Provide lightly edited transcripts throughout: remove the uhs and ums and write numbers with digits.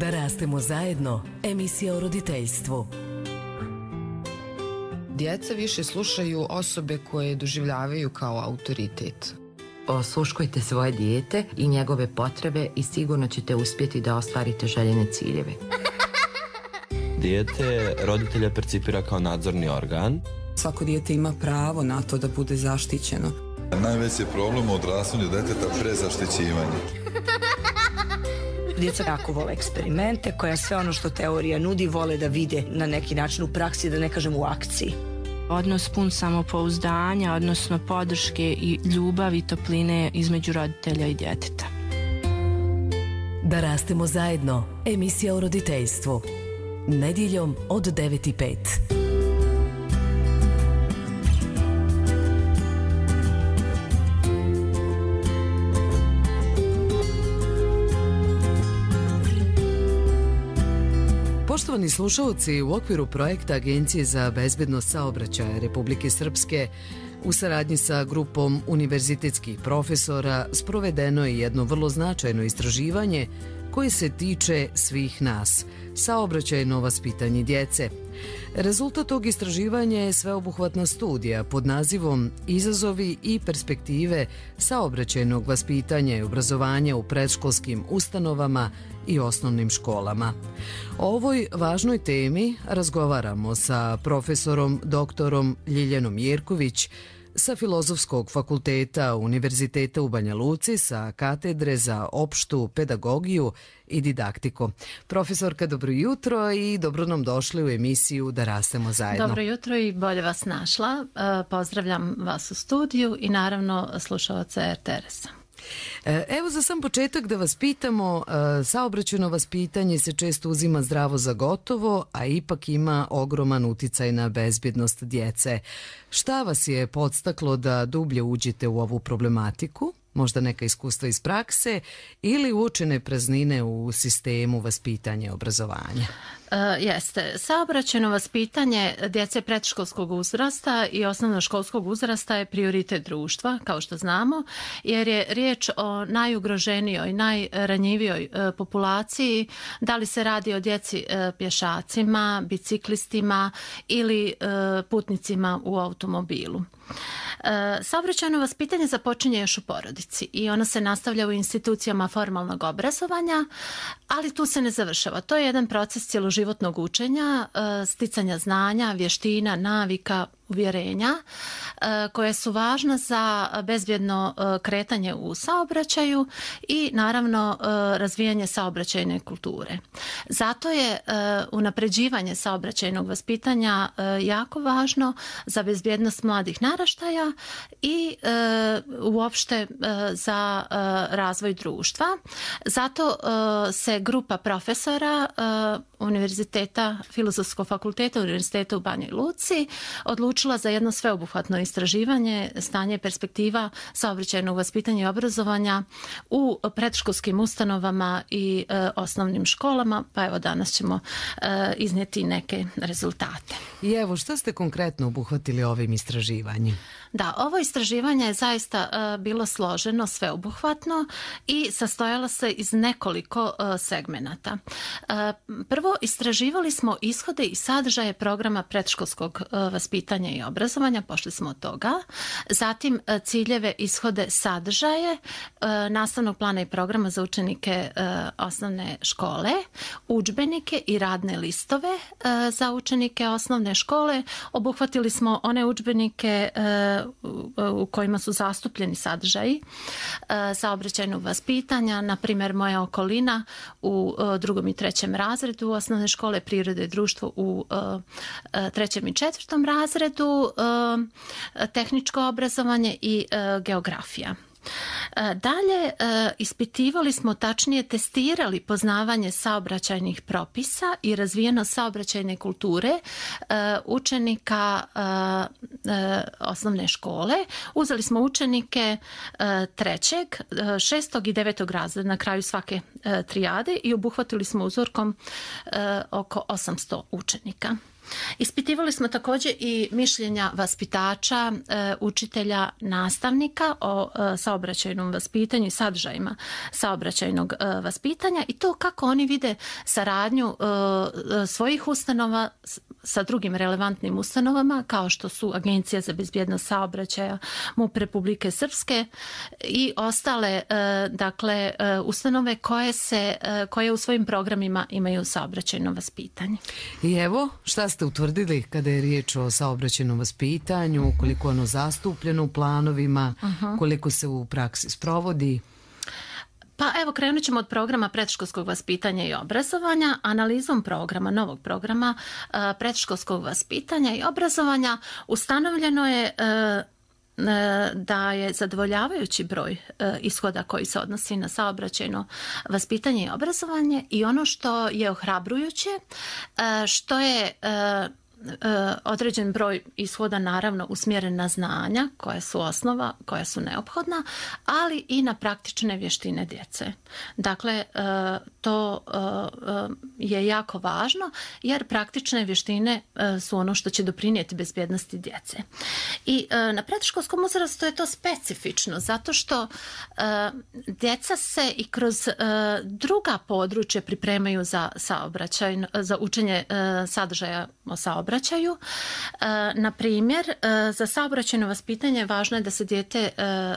Da rastemo zajedno, emisija o roditeljstvu. Djeca više slušaju osobe koje doživljavaju kao autoritet. Osluškujte svoje dijete i njegove potrebe i sigurno ćete uspjeti da ostvarite željene ciljeve. Dijete roditelja percipira kao nadzorni organ. Svako dijete ima pravo na to da bude zaštićeno. Najveći je problem u odrastanju djeteta prezaštićivanje. Djeca jako vole eksperimente, koja sve ono što teorija nudi vole da vide na neki način u praksi, da ne kažem u akciji. Odnos pun samopouzdanja, odnosno podrške i ljubavi i topline između roditelja i djeteta. Da rastemo zajedno, emisija o roditeljstvu. Nedjeljom od 9:05. Poštovani slušalci, u okviru projekta Agencije za bezbednost saobraćaja Republike Srpske u saradnji sa grupom univerzitetskih profesora sprovedeno je jedno vrlo značajno istraživanje koje se tiče svih nas, saobraćajno vaspitanje djece. Rezultat tog istraživanja je sveobuhvatna studija pod nazivom Izazovi i perspektive saobraćajnog vaspitanja i obrazovanja u predškolskim ustanovama i osnovnim školama. O ovoj važnoj temi razgovaramo sa profesorom doktorom Ljiljanom Jerković sa Filozofskog fakulteta Univerziteta u Banja Luci sa katedre za opštu pedagogiju i didaktiku. Profesorka, dobro jutro i dobro nam došli u emisiju Da rastemo zajedno. Dobro jutro i bolje vas našla. Pozdravljam vas u studiju i naravno slušalce RTS-a. Evo za sam početak da vas pitamo, saobraćajno vaspitanje se često uzima zdravo za gotovo, a ipak ima ogroman uticaj na bezbjednost djece. Šta vas je podstaklo da dublje uđete u ovu problematiku? Možda neka iskustva iz prakse ili uočene praznine u sistemu vaspitanja i obrazovanja? Jeste. Saobraćajno vaspitanje djece predškolskog uzrasta i osnovnoškolskog uzrasta je prioritet društva, kao što znamo, jer je riječ o najugroženijoj, najranjivijoj populaciji, da li se radi o djeci pješacima, biciklistima ili putnicima u automobilu. Saobraćajno vaspitanje započinje još u porodici i ono se nastavlja u institucijama formalnog obrazovanja, ali tu se ne završava. To je jedan proces cjeloživotnog učenja, sticanja znanja, vještina, navika, uvjerenja koje su važna za bezbjedno kretanje u saobraćaju i naravno razvijanje saobraćajne kulture. Zato je unapređivanje saobraćajnog vaspitanja jako važno za bezbjednost mladih naraštaja i uopšte za razvoj društva. Zato se grupa profesora Univerziteta, Filozofskog fakulteta Univerziteta u Banji Luci odlučila za jedno sveobuhvatno istraživanje stanje perspektiva saobraćajnog vaspitanja i obrazovanja u predškolskim ustanovama i osnovnim školama, pa evo danas ćemo iznijeti neke rezultate. I evo, što ste konkretno obuhvatili ovim istraživanjem? Da, ovo istraživanje je zaista bilo složeno, sveobuhvatno i sastojalo se iz nekoliko segmenata. Prvo, istraživali smo ishode i sadržaje programa predškolskog vaspitanja i obrazovanja, pošli smo od toga. Zatim, ciljeve, ishode, sadržaje nastavnog plana i programa za učenike osnovne škole, udžbenike i radne listove za učenike osnovne škole. Obuhvatili smo one udžbenike u kojima su zastupljeni sadržaji saobraćajnog vaspitanja, na primjer Moja okolina u 2. i 3. razredu osnovne škole, Priroda i društvo u 3. i 4. razredu, tehničko obrazovanje i geografija. Dalje, ispitivali smo, tačnije testirali poznavanje saobraćajnih propisa i razvijenost saobraćajne kulture učenika osnovne škole. Uzeli smo učenike 3., 6. i 9. razreda na kraju svake trijade i obuhvatili smo uzorkom oko 800 učenika. Ispitivali smo također i mišljenja vaspitača, učitelja, nastavnika o saobraćajnom vaspitanju i sadržajima saobraćajnog vaspitanja i to kako oni vide saradnju svojih ustanova sa drugim relevantnim ustanovama kao što su Agencija za bezbjednost saobraćaja, MUP Republike Srpske i ostale ustanove koje u svojim programima imaju saobraćajno vaspitanje. I evo, šta ste utvrdili kada je riječ o saobraćajnom vaspitanju, koliko je ono zastupljeno u planovima, koliko se u praksi sprovodi? Pa evo, krenut ćemo od programa predškolskog vaspitanja i obrazovanja. Analizom programa, novog programa predškolskog vaspitanja i obrazovanja ustanovljeno je da je zadovoljavajući broj ishoda koji se odnosi na saobraćajno vaspitanje i obrazovanje i ono što je ohrabrujuće, što je određen broj ishoda naravno usmjeren na znanja koja su osnova, koja su neophodna, ali i na praktične vještine djece. Dakle, to je jako važno jer praktične vještine su ono što će doprinijeti bezbjednosti djece. I na predškolskom uzrastu je to specifično zato što djeca se i kroz druga područja pripremaju za učenje sadržaja o saobraćaju. Na primjer, za saobraćajno vaspitanje važno je da se dijete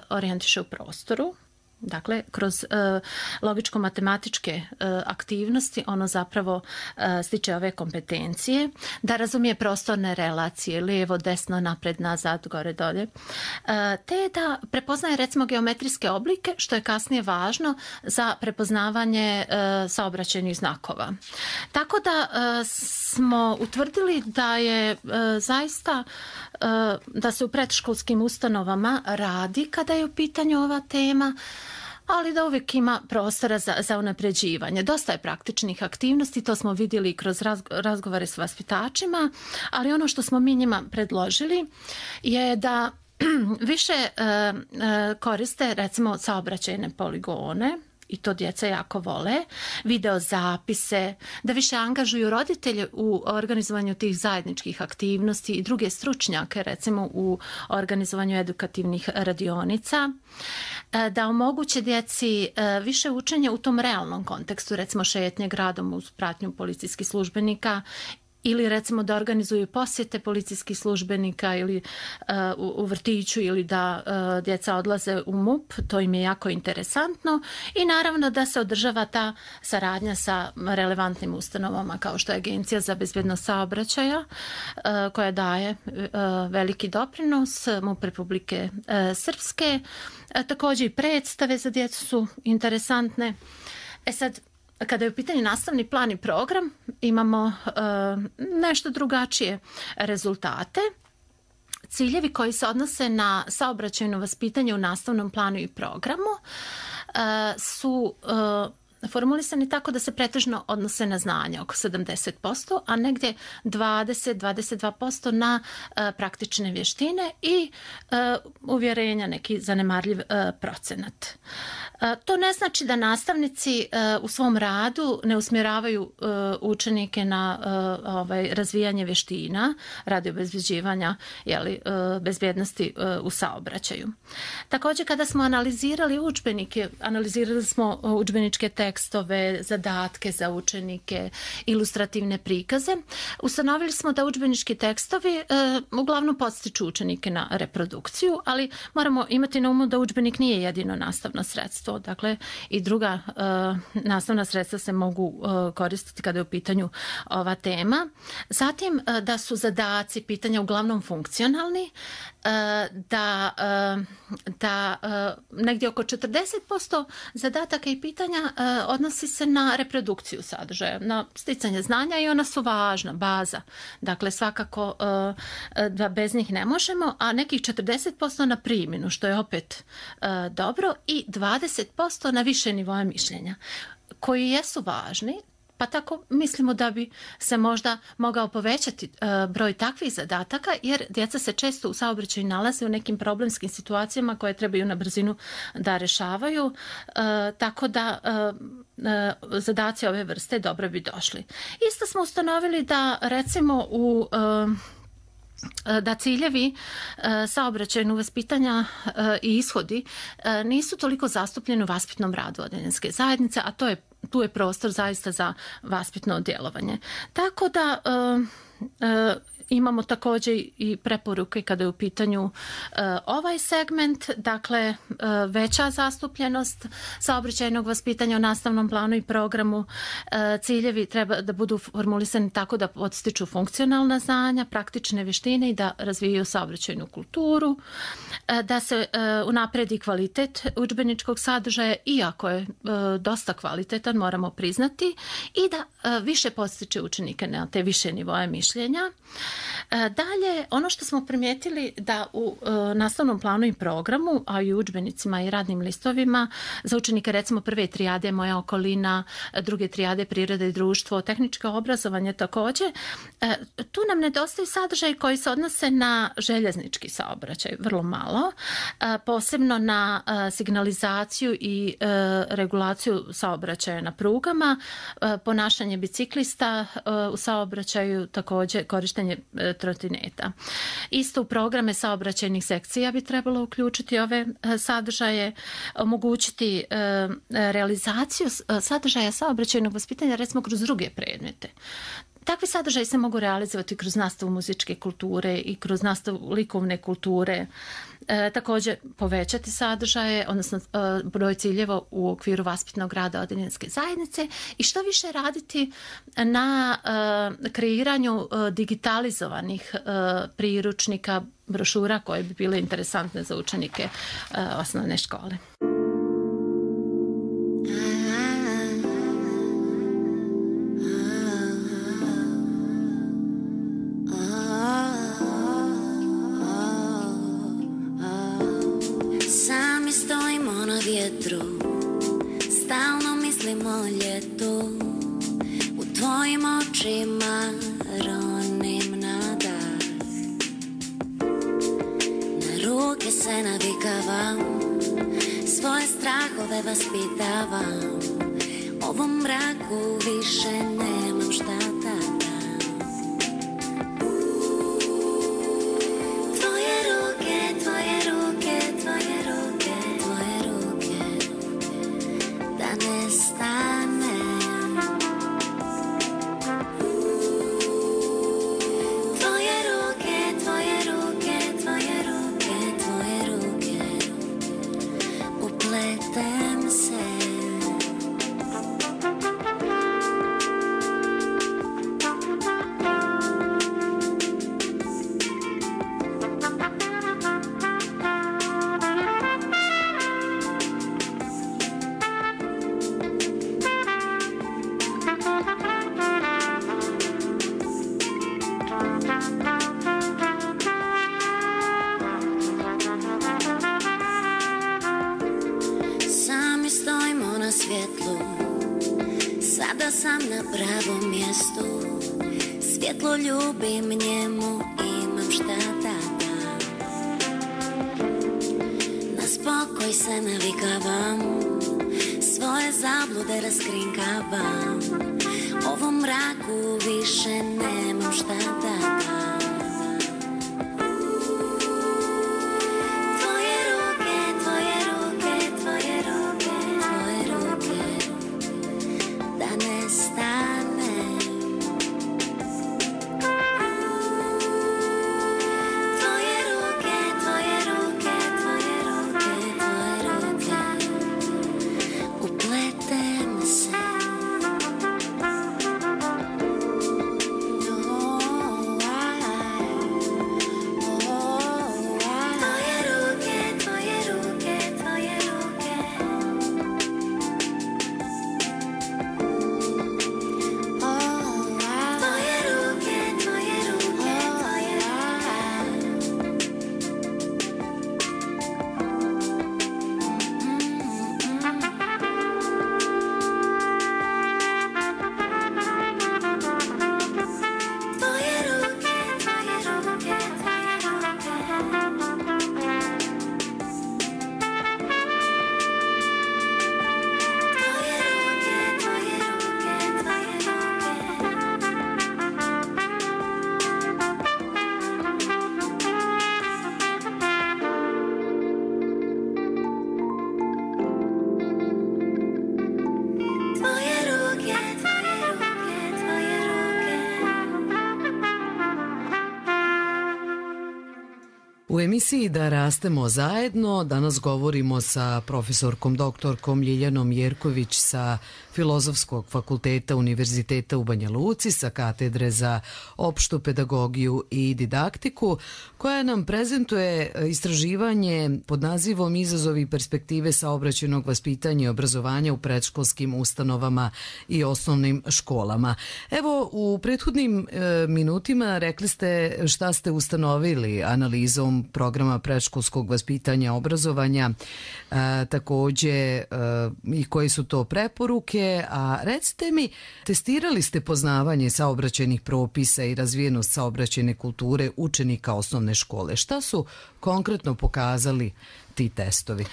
orijentiše u prostoru. Dakle, kroz logičko-matematičke aktivnosti ono zapravo stiče ove kompetencije, da razumije prostorne relacije, lijevo, desno, napred, nazad, gore, dolje, te da prepoznaje recimo geometrijske oblike, što je kasnije važno za prepoznavanje saobraćajnih znakova. Tako da smo utvrdili da je zaista da se u predškolskim ustanovama radi kada je u pitanju ova tema, ali da uvijek ima prostora za unapređivanje. Dosta je praktičnih aktivnosti, to smo vidjeli kroz razgovore s vaspitačima, ali ono što smo mi njima predložili je da više koriste recimo saobraćajne poligone, i to djeca jako vole, video zapise, da više angažuju roditelje u organizovanju tih zajedničkih aktivnosti i druge stručnjake, recimo u organizovanju edukativnih radionica, da omoguće djeci više učenja u tom realnom kontekstu, recimo šetnje gradom uz pratnju policijskih službenika ili recimo da organizuju posjete policijskih službenika ili u vrtiću ili da djeca odlaze u MUP, to im je jako interesantno i naravno da se održava ta saradnja sa relevantnim ustanovama kao što je Agencija za bezbjednost saobraćaja koja daje veliki doprinos, MUP Republike Srpske, također i predstave za djecu su interesantne. Sad, kada je u pitanju nastavni plan i program, imamo nešto drugačije rezultate. Ciljevi koji se odnose na saobraćajno vaspitanje u nastavnom planu i programu su formulisani tako da se pretežno odnose na znanje, oko 70%, a negdje 20-22% na praktične vještine i uvjerenja, neki zanemarljiv procenat. To ne znači da nastavnici u svom radu ne usmjeravaju učenike na razvijanje vještina radi obezbeđivanja bezbjednosti u saobraćaju. Također, kada smo analizirali udžbenike, analizirali smo udžbeničke tekstove, zadatke za učenike, ilustrativne prikaze, ustanovili smo da udžbenički tekstovi uglavnom podstiču učenike na reprodukciju, ali moramo imati na umu da udžbenik nije jedino nastavno sredstvo. Dakle, i druga nastavna sredstva se mogu koristiti kada je u pitanju ova tema. Zatim, da su zadaci, pitanja uglavnom funkcionalni, da negdje oko 40% zadataka i pitanja odnosi se na reprodukciju sadržaja, na sticanje znanja i ona su važna, baza. Dakle, svakako da bez njih ne možemo, a nekih 40% na primjenu, što je opet dobro, i 20% na više nivoje mišljenja, koji jesu važni, pa tako mislimo da bi se možda mogao povećati broj takvih zadataka, jer djeca se često u saobraćaju nalaze u nekim problemskim situacijama koje trebaju na brzinu da rešavaju, tako da zadaci ove vrste dobro bi došli. Isto smo ustanovili da recimo da ciljevi saobraćajnog vaspitanja i ishodi nisu toliko zastupljeni u vaspitnom radu odeljenske zajednice, a tu je prostor zaista za vaspitno djelovanje. Tako da imamo također i preporuke kada je u pitanju ovaj segment, dakle veća zastupljenost saobraćajnog vaspitanja u nastavnom planu i programu. Ciljevi treba da budu formulisani tako da podstiču funkcionalna znanja, praktične vještine i da razvijaju saobraćajnu kulturu, da se unapredi kvalitet udžbeničkog sadržaja, iako je dosta kvalitetan, moramo priznati, i da više podstiče učenike na te više nivoje mišljenja. Dalje, ono što smo primijetili da u nastavnom planu i programu, a i u udžbenicima i radnim listovima za učenike recimo prve trijade Moja okolina, druge trijade Priroda i društvo, tehničko obrazovanje također, tu nam nedostaju sadržaji koji se odnose na željeznički saobraćaj, vrlo malo, posebno na signalizaciju i regulaciju saobraćaja na prugama, ponašanje biciklista u saobraćaju, također korištenje trotineta. Isto u programe saobraćajnih sekcija bi trebalo uključiti ove sadržaje, omogućiti realizaciju sadržaja saobraćajnog vaspitanja recimo kroz druge predmete. Takvi sadržaji se mogu realizovati kroz nastavu muzičke kulture i kroz nastavu likovne kulture. Također povećati sadržaje, odnosno broj ciljeva u okviru vaspitnog rada odeljenske zajednice i što više raditi na kreiranju digitalizovanih priručnika, brošura koje bi bile interesantne za učenike osnovne škole. Vjetru, stalno mislim o ljetu, u tvojim očima ronim na dah. Na ruke se navikavam, svoje strahove vaspitavam, ovom mraku više nemam šta da dam. Tvoje ruke, tvoje ruke, tvoje ruke, tvoje ruke, da ne stane. Tvoje ruke, tvoje ruke, tvoje ruke, tvoje ruke, upletem se. Sada sam na pravom mjestu, svjetlo ljubim njemu, imam šta da dam. Na spokoj se navikavam, svoje zablude raskrinkavam, ovom mraku više nemam šta da dam. Oh U emisiji Da rastemo zajedno danas govorimo sa profesorkom doktorkom Ljiljanom Jerković sa Filozofskog fakulteta Univerziteta u Banja Luci, sa katedre za opštu pedagogiju i didaktiku, koja nam prezentuje istraživanje pod nazivom Izazovi i perspektive saobraćajnog vaspitanja i obrazovanja u predškolskim ustanovama i osnovnim školama. Evo, u prethodnim minutima rekli ste šta ste ustanovili analizom programa predškolskog vaspitanja i obrazovanja, takođe i koje su to preporuke, a recite mi, testirali ste poznavanje saobraćajnih propisa i razvijenost saobraćajne kulture učenika osnovne škole. Šta su konkretno pokazali ti testovi?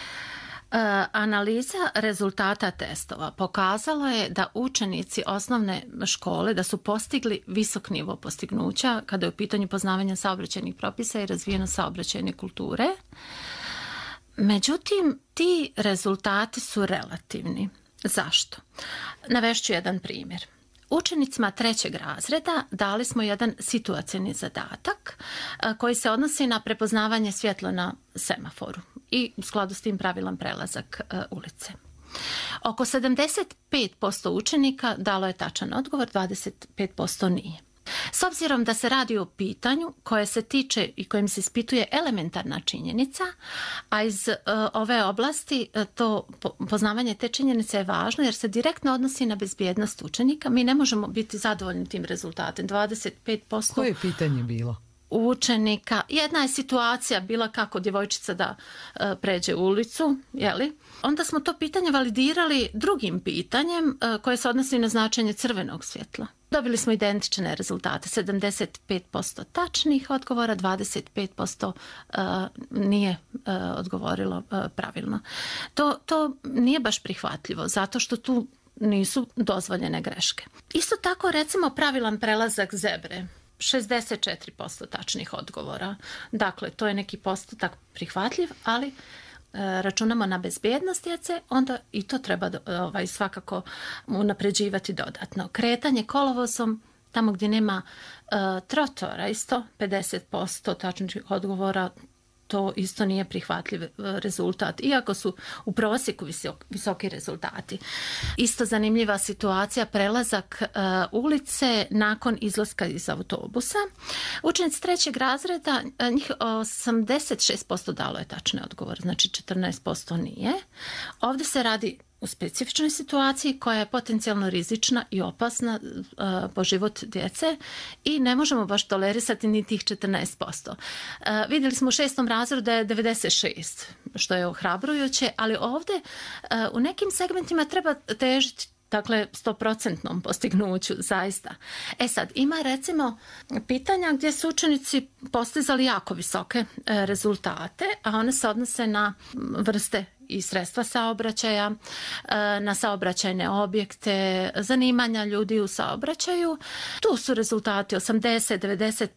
Analiza rezultata testova pokazala je da učenici osnovne škole da su postigli visok nivo postignuća kada je u pitanju poznavanja saobraćajnih propisa i razvijenost saobraćajne kulture. Međutim, ti rezultati su relativni. Zašto? Navešću jedan primjer. Učenicima 3. razreda dali smo jedan situacioni zadatak koji se odnosi na prepoznavanje svjetla na semaforu i u skladu s tim pravilan prelazak ulice. Oko 75% učenika dalo je tačan odgovor, 25% nije. S obzirom da se radi o pitanju koje se tiče i kojim se ispituje elementarna činjenica, a iz ove oblasti to poznavanje te činjenice je važno jer se direktno odnosi na bezbjednost učenika, mi ne možemo biti zadovoljni tim rezultatom. 25%. Koje je pitanje bilo? Učenika. Jedna je situacija bila kako djevojčica da pređe ulicu, jeli? Onda smo to pitanje validirali drugim pitanjem koje se odnosi na značenje crvenog svjetla. Dobili smo identične rezultate, 75% tačnih odgovora, 25% nije odgovorilo pravilno. To nije baš prihvatljivo, zato što tu nisu dozvoljene greške. Isto tako, recimo, pravilan prelazak zebre. 64% tačnih odgovora. Dakle, to je neki postotak prihvatljiv, ali računamo na bezbjednost djece, onda i to treba svakako unapređivati dodatno. Kretanje kolovozom, tamo gdje nema trotoara, isto 50% tačnih odgovora, to isto nije prihvatljiv rezultat, iako su u prosjeku visoki rezultati. Isto zanimljiva situacija, prelazak ulice nakon izlaska iz autobusa. Učenici 3. razreda, njih 86% dalo je tačne odgovor, znači 14% nije. Ovdje se radi u specifičnoj situaciji koja je potencijalno rizična i opasna po život djece i ne možemo baš tolerisati ni tih 14%. Vidjeli smo u 6. razredu da je 96%, što je ohrabrujuće, ali ovdje u nekim segmentima treba težiti, dakle, 100% postignuću, zaista. Sad, ima recimo pitanja gdje su učenici postizali jako visoke rezultate, a one se odnose na vrste i sredstva saobraćaja, na saobraćajne objekte, zanimanja ljudi u saobraćaju. Tu su rezultati 80-90%.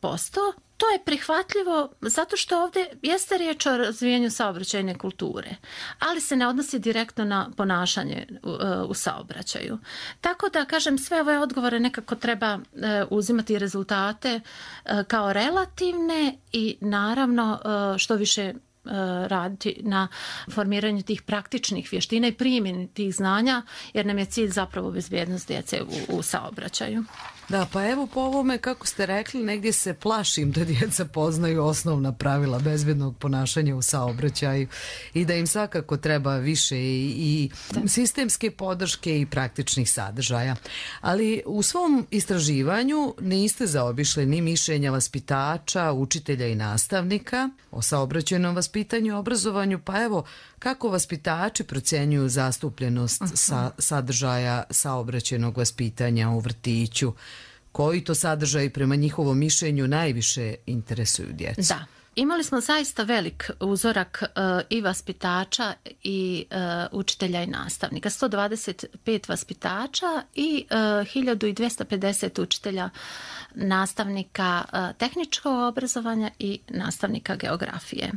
To je prihvatljivo zato što ovdje jeste riječ o razvijanju saobraćajne kulture, ali se ne odnosi direktno na ponašanje u saobraćaju. Tako da, kažem, sve ove odgovore nekako treba uzimati rezultate kao relativne i naravno što više raditi na formiranju tih praktičnih vještina i primjeni tih znanja, jer nam je cilj zapravo bezbjednost djece u saobraćaju. Da, pa evo po ovome, kako ste rekli, negdje se plašim da djeca poznaju osnovna pravila bezbjednog ponašanja u saobraćaju i da im svakako treba više i sistemske podrške i praktičnih sadržaja. Ali u svom istraživanju niste zaobišli ni mišljenja vaspitača, učitelja i nastavnika o saobraćajnom vaspitanju i obrazovanju, pa evo, kako vaspitači procjenjuju zastupljenost sadržaja saobraćajnog vaspitanja u vrtiću? Koji to sadržaji prema njihovom mišljenju najviše interesuju djecu? Da. Imali smo zaista velik uzorak i vaspitača i učitelja i nastavnika. 125 vaspitača i 1250 učitelja, nastavnika tehničkog obrazovanja i nastavnika geografije.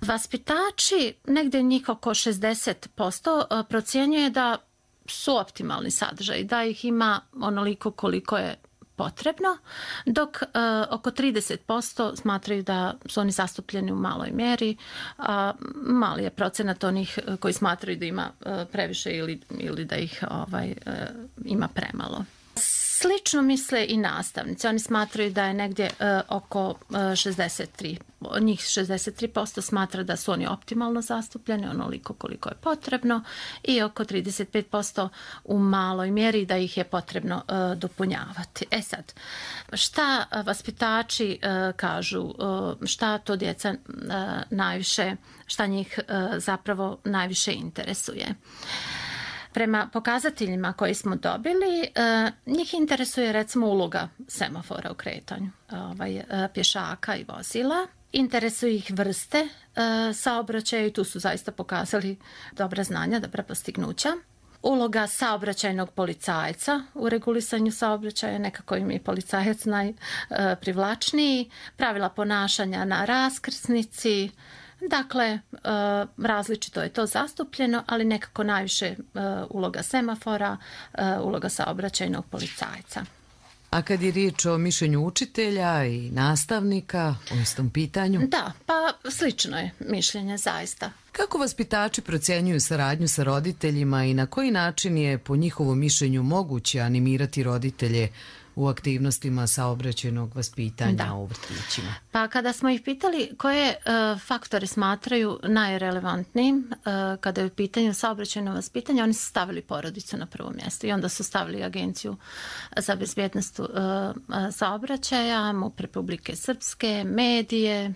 Vaspitači, negdje njih oko 60%, procjenjuje da su optimalni sadržaj, da ih ima onoliko koliko je potrebno, dok oko 30% smatraju da su oni zastupljeni u maloj mjeri, a mali je procenat onih koji smatraju da ima previše ili da ih ima premalo. Slično misle i nastavnici. Oni smatraju da je negdje oko 63% smatra da su oni optimalno zastupljeni, onoliko koliko je potrebno, i oko 35% u maloj mjeri da ih je potrebno dopunjavati. Sad, šta vaspitači kažu, šta to djeca najviše, šta njih zapravo najviše interesuje? Prema pokazateljima koje smo dobili, njih interesuje recimo uloga semafora u kretanju pješaka i vozila. Interesuju ih vrste saobraćaja i tu su zaista pokazali dobra znanja, dobra postignuća. Uloga saobraćajnog policajca u regulisanju saobraćaja, nekako im je policajac najprivlačniji. Pravila ponašanja na raskrsnici. Dakle, različito je to zastupljeno, ali nekako najviše uloga semafora, uloga saobraćajnog policajca. A kad je riječ o mišljenju učitelja i nastavnika o istom pitanju? Da, pa slično je mišljenje zaista. Kako vaspitači procjenjuju saradnju sa roditeljima i na koji način je po njihovom mišljenju moguće animirati roditelje u aktivnostima saobraćajnog vaspitanja u vrtićima? Pa kada smo ih pitali koje faktore smatraju najrelevantnijim kada je u pitanju saobraćajno vaspitanje, oni su stavili porodicu na prvo mjesto i onda su stavili Agenciju za bezbjednost saobraćaja, MUP Republike Srpske, medije,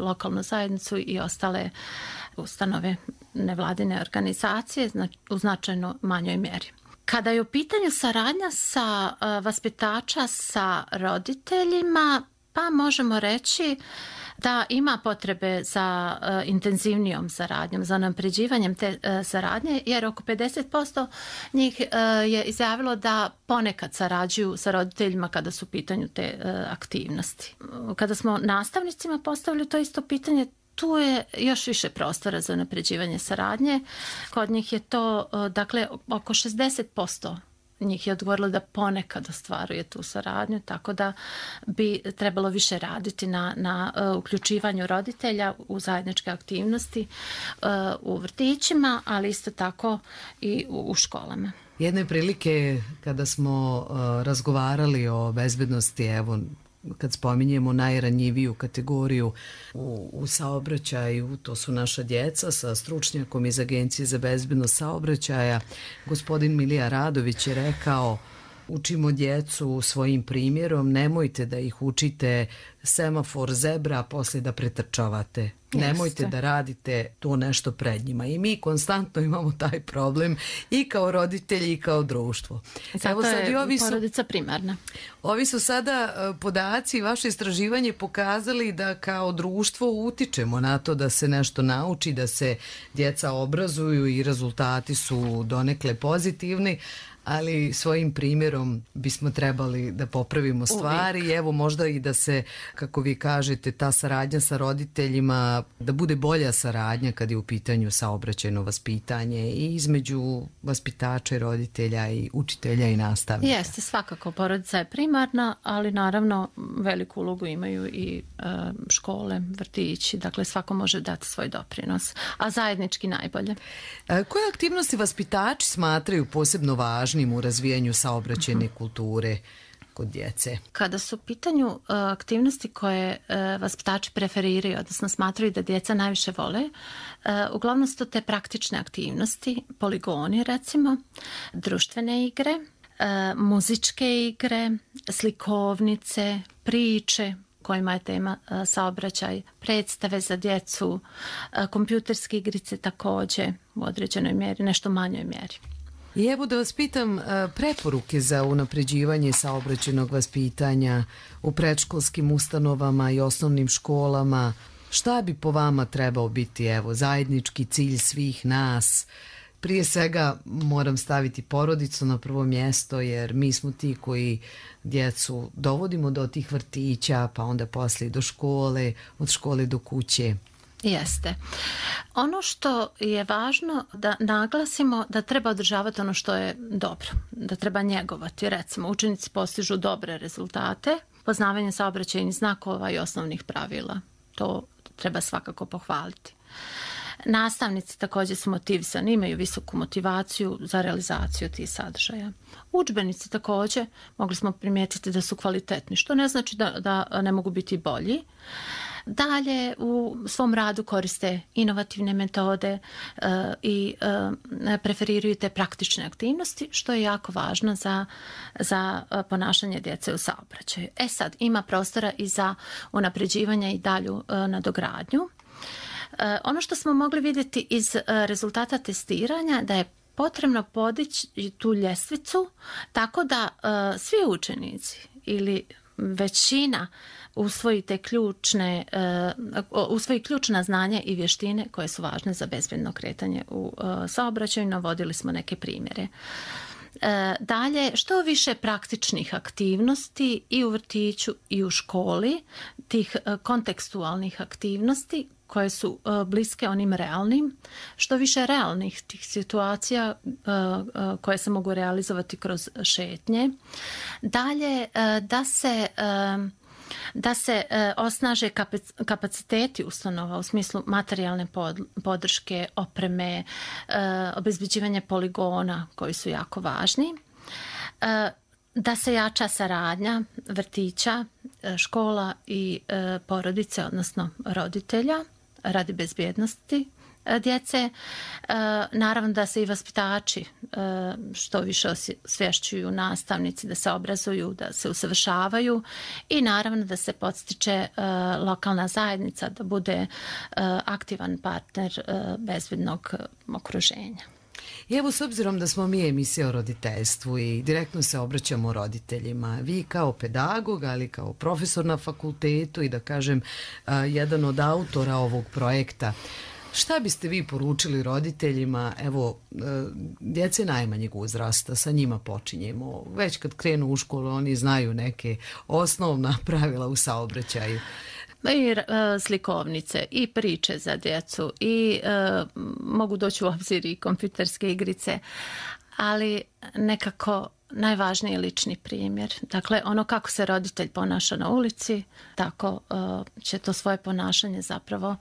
lokalnu zajednicu i ostale ustanove nevladine organizacije u značajno manjoj mjeri. Kada je u pitanju saradnja sa vaspitača sa roditeljima, pa možemo reći da ima potrebe za intenzivnijom saradnjom, za unapređivanjem te saradnje, jer oko 50% njih je izjavilo da ponekad sarađuju sa roditeljima kada su u pitanju te aktivnosti. Kada smo nastavnicima postavili to isto pitanje, tu je još više prostora za unapređivanje saradnje. Kod njih je to, dakle, oko 60% njih je odgovorilo da ponekad ostvaruje tu saradnju, tako da bi trebalo više raditi na uključivanju roditelja u zajedničke aktivnosti u vrtićima, ali isto tako i u školama. Jedne prilike kada smo razgovarali o bezbednosti, evo, kad spominjemo najranjiviju kategoriju u saobraćaju, to su naša djeca, sa stručnjakom iz Agencije za bezbednost saobraćaja, gospodin Milija Radović je rekao: učimo djecu svojim primjerom, nemojte da ih učite semafor, zebra, a poslije da pretrčavate. Nemojte da radite to nešto pred njima. I mi konstantno imamo taj problem i kao roditelji i kao društvo. Zato je porodica primarna. Ovi su sada podaci, vaše istraživanje pokazali da kao društvo utičemo na to da se nešto nauči, da se djeca obrazuju i rezultati su donekle pozitivni, ali svojim primjerom bismo trebali da popravimo stvari. Uvijek. Evo, možda i da se, kako vi kažete, ta saradnja sa roditeljima, da bude bolja saradnja kad je u pitanju saobraćajno vaspitanje i između vaspitača i roditelja i učitelja i nastavnika. Jeste, svakako porodica je primarna, ali naravno veliku ulogu imaju i škole, vrtići, dakle svako može dati svoj doprinos, a zajednički najbolje. Koje aktivnosti vaspitači smatraju posebno važnim u razvijanju saobraćajne kulture kod djece? Kada su u pitanju aktivnosti koje vaspitači preferiraju, odnosno smatraju da djeca najviše vole, uglavnom su to te praktične aktivnosti, poligoni recimo, društvene igre, muzičke igre, slikovnice, priče kojima je tema saobraćaj, predstave za djecu, kompjuterske igrice također u određenoj mjeri, nešto manjoj mjeri. I evo da vas pitam preporuke za unapređivanje saobraćajnog vaspitanja u predškolskim ustanovama i osnovnim školama. Šta bi po vama trebao biti zajednički cilj svih nas? Prije svega moram staviti porodicu na prvo mjesto, jer mi smo ti koji djecu dovodimo do tih vrtića, pa onda poslije do škole, od škole do kuće. Jeste. Ono što je važno da naglasimo da treba održavati ono što je dobro, da treba njegovati. Recimo, učenici postižu dobre rezultate, poznavanje saobraćajnih znakova i osnovnih pravila. To treba svakako pohvaliti. Nastavnici također su motivisani, imaju visoku motivaciju za realizaciju tih sadržaja. Udžbenici također mogli smo primijetiti da su kvalitetni, što ne znači da ne mogu biti bolji. Dalje u svom radu koriste inovativne metode i preferiraju te praktične aktivnosti, što je jako važno za ponašanje djece u saobraćaju. Sad, ima prostora i za unapređivanje i dalju nadogradnju. Ono što smo mogli vidjeti iz rezultata testiranja da je potrebno podići tu ljestvicu tako da svi učenici ili većina usvoji ključna znanja i vještine koje su važne za bezbjedno kretanje u saobraćaju. Navodili smo neke primjere. Dalje, što više praktičnih aktivnosti i u vrtiću i u školi, tih kontekstualnih aktivnosti koje su bliske onim realnim, što više realnih tih situacija koje se mogu realizovati kroz šetnje. Dalje, da se osnaže kapaciteti ustanova u smislu materijalne podrške, opreme, obezbeđivanje poligona koji su jako važni. Da se jača saradnja vrtića, škola i porodice, odnosno roditelja radi bezbjednosti djece. Naravno da se i vaspitači što više osvješćuju, nastavnici da se obrazuju, da se usavršavaju i naravno da se podstiče lokalna zajednica da bude aktivan partner bezbjednog okruženja. I evo, s obzirom da smo mi emisija o roditeljstvu i direktno se obraćamo roditeljima, vi kao pedagog, ali kao profesor na fakultetu i da kažem jedan od autora ovog projekta, šta biste vi poručili roditeljima, evo, djece najmanjeg uzrasta, sa njima počinjemo. Već kad krenu u školu, oni znaju neke osnovna pravila u saobraćaju. I slikovnice i priče za djecu i mogu doći u obzir i kompjuterske igrice, ali nekako najvažniji je lični primjer. Dakle, ono kako se roditelj ponaša na ulici, tako će to svoje ponašanje zapravo,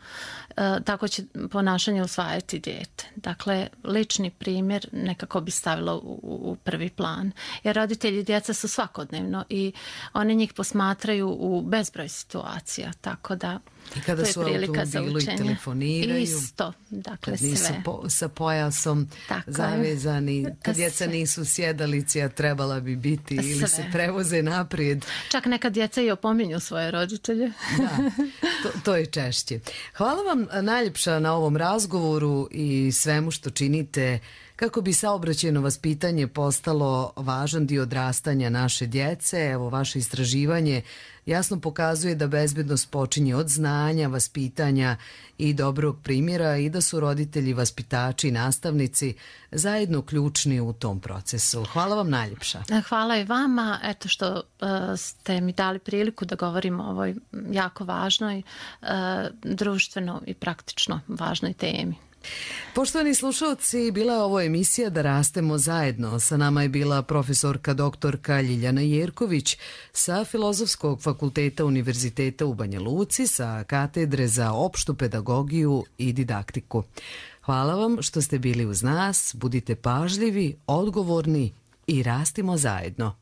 tako će ponašanje usvajati dijete. Dakle, lični primjer nekako bi stavilo u prvi plan. Jer roditelji i djeca su svakodnevno i oni njih posmatraju u bezbroj situacija, tako da i kada su u automobilu i telefoniraju. Isto, dakle kad nisu sve. Sa pojasom tako zavezani, kad djeca nisu sjedalici, a trebala bi biti ili se prevoze naprijed. Čak neka djeca i opominju svoje roditelje. Da, to je češće. Hvala vam najljepša na ovom razgovoru i svemu što činite kako bi saobraćajno vaspitanje postalo važan dio odrastanja naše djece. Evo, vaše istraživanje jasno pokazuje da bezbednost počinje od znanja, vaspitanja i dobrog primjera i da su roditelji, vaspitači i nastavnici zajedno ključni u tom procesu. Hvala vam najljepša. Hvala i vama, eto što ste mi dali priliku da govorimo o ovoj jako važnoj, društveno i praktično važnoj temi. Poštovani slušalci, bila je ovo emisija Da rastemo zajedno. Sa nama je bila profesorka doktorka Ljiljana Jerković sa Filozofskog fakulteta Univerziteta u Banja Luci, sa katedre za opštu pedagogiju i didaktiku. Hvala vam što ste bili uz nas, budite pažljivi, odgovorni i rastimo zajedno.